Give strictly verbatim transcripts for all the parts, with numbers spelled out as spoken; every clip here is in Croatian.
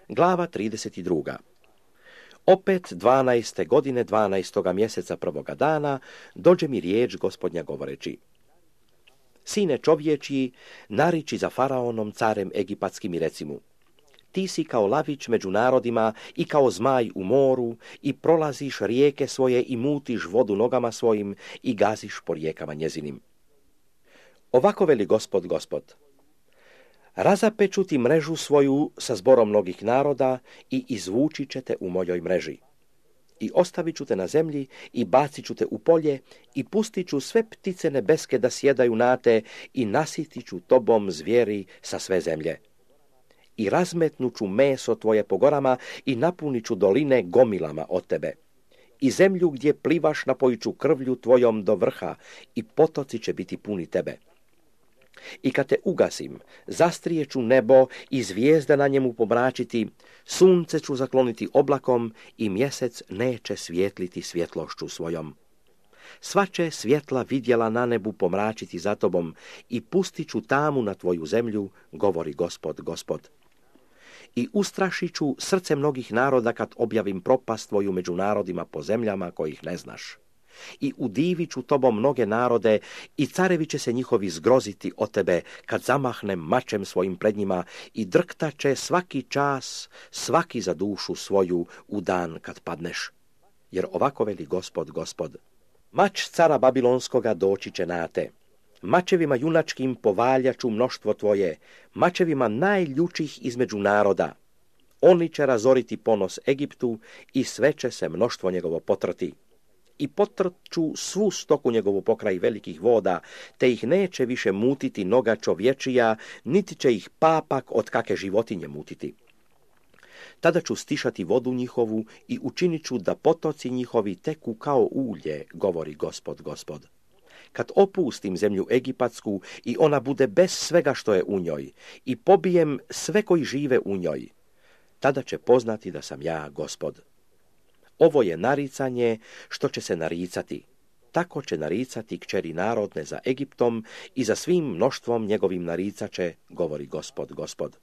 Glava trideset dva. Opet dvanaeste godine dvanaestoga mjeseca prvoga dana dođe mi riječ Gospodnja govoreći: Sine čovječji, nariči za faraonom carem egipatskim i reci mu: Ti si kao lavić među narodima i kao zmaj u moru i prolaziš rijeke svoje i mutiš vodu nogama svojim i gaziš po rijekama njezinim. Ovako veli Gospod, Gospod: Razapeću ti mrežu svoju sa zborom mnogih naroda i izvući će te u mojoj mreži. I ostavit ću te na zemlji i bacit ću te u polje i pustit ću sve ptice nebeske da sjedaju na te i nasitit ću tobom zvijeri sa sve zemlje. I razmetnut ću meso tvoje po gorama i napunit ću doline gomilama od tebe. I zemlju gdje plivaš napojit ću krvlju tvojom do vrha i potoci će biti puni tebe. I kad te ugasim, zastrijeću nebo i zvijezde na njemu pomračiti, sunce ću zakloniti oblakom i mjesec neće svijetliti svjetlošću svojom. Sva će svjetla vidjela na nebu pomračiti za tobom i pustit ću tamu na tvoju zemlju, govori Gospod, Gospod. I ustrašit ću srce mnogih naroda kad objavim propast tvoju među narodima po zemljama kojih ne znaš. I udivit ću tobom mnoge narode i carevi će se njihovi zgroziti od tebe kad zamahnem mačem svojim pred njima i drktat će svaki čas, svaki za dušu svoju u dan kad padneš. Jer ovako veli Gospod, Gospod: Mač cara Babilonskoga doći će na te. Mačevima junačkim povaljaću mnoštvo tvoje, mačevima najljučih između naroda. Oni će razoriti ponos Egiptu i sve će se mnoštvo njegovo potrati. I potrču svu stoku njegovu pokraj velikih voda, te ih neće više mutiti noga čovječija, niti će ih papak od kake životinje mutiti. Tada ću stišati vodu njihovu i učinit ću da potoci njihovi teku kao ulje, govori Gospod, Gospod. Kad opustim zemlju egipatsku i ona bude bez svega što je u njoj i pobijem sve koji žive u njoj, tada će poznati da sam ja Gospod. Ovo je naricanje što će se naricati. Tako će naricati kćeri narodne za Egiptom i za svim mnoštvom njegovim naricaće, govori Gospod, Gospod.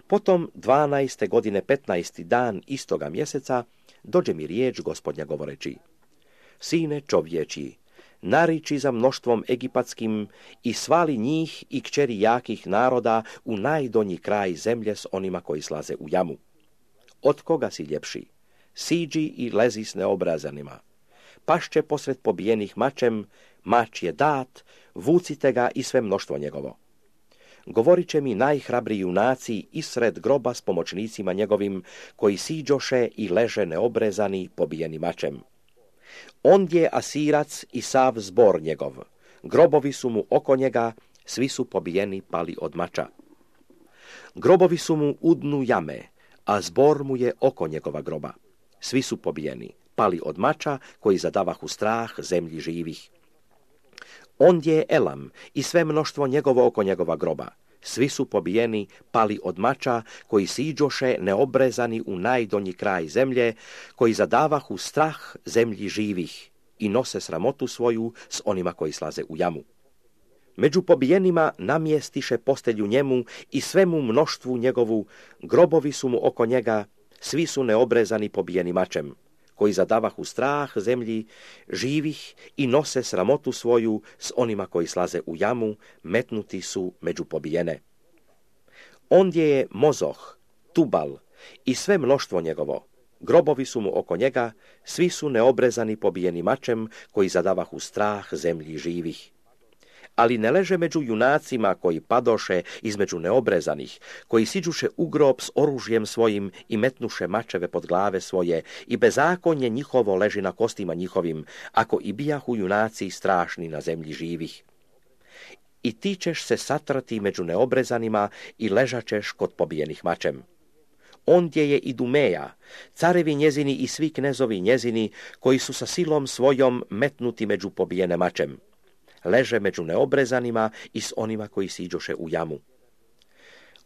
Potom dvanaeste godine petnaesti dan istoga mjeseca dođe mi riječ Gospodnja govoreći: Sine čovječji, nariči za mnoštvom egipatskim i svali njih i kćeri jakih naroda u najdonji kraj zemlje s onima koji slaze u jamu. Od koga si ljepši? Siđi i lezi s neobrazanima. Pašće posred pobijenih mačem, mač je dat, vucite ga i sve mnoštvo njegovo. Govorit će mi najhrabriji junaci isred groba s pomoćnicima njegovim, koji siđoše i leže neobrezani pobijeni mačem. Ondje Asirac i sav zbor njegov, grobovi su mu oko njega, svi su pobijeni pali od mača. Grobovi su mu u dnu jame, a zbor mu je oko njegova groba. Svi su pobijeni, pali od mača koji zadavahu strah zemlji živih. Ondje je Elam i sve mnoštvo njegovo oko njegova groba. Svi su pobijeni, pali od mača koji siđoše neobrezani u najdonji kraj zemlje, koji zadavahu strah zemlji živih i nose sramotu svoju s onima koji slaze u jamu. Među pobijenima namjestiše postelju njemu i svemu mnoštvu njegovu, grobovi su mu oko njega, svi su neobrezani pobijeni mačem, koji zadavahu strah zemlji živih i nose sramotu svoju s onima koji slaze u jamu, metnuti su među pobijene. Ondje je Mozoh, Tubal i sve mnoštvo njegovo, grobovi su mu oko njega, svi su neobrezani pobijeni mačem, koji zadavahu strah zemlji živih. Ali ne leže među junacima koji padoše između neobrezanih, koji siđuše u grob s oružjem svojim i metnuše mačeve pod glave svoje, i bezakonje njihovo leži na kostima njihovim, ako i bijahu junaci strašni na zemlji živih. I ti ćeš se satrati među neobrezanima i ležaćeš kod pobijenih mačem. Ondje je i Dumeja, carevi njezini i svi knezovi njezini, koji su sa silom svojom metnuti među pobijene mačem. Leže među neobrezanima i s onima koji siđoše u jamu.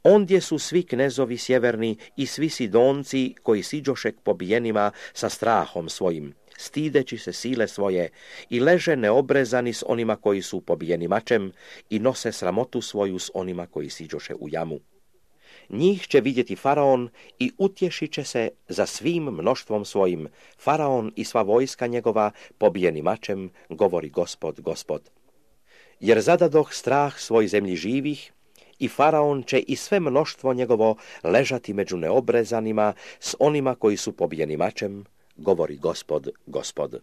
Ondje su svi knezovi sjeverni i svi Sidonci koji siđoše k pobijenima sa strahom svojim, stideći se sile svoje, i leže neobrezani s onima koji su pobijeni mačem i nose sramotu svoju s onima koji siđoše u jamu. Njih će vidjeti faraon i utješit će se za svim mnoštvom svojim. Faraon i sva vojska njegova pobijeni mačem, govori Gospod, Gospod. Jer zadadoh strah svoj zemlji živih, i faraon će i sve mnoštvo njegovo ležati među neobrezanima s onima koji su pobijeni mačem, govori Gospod, Gospod.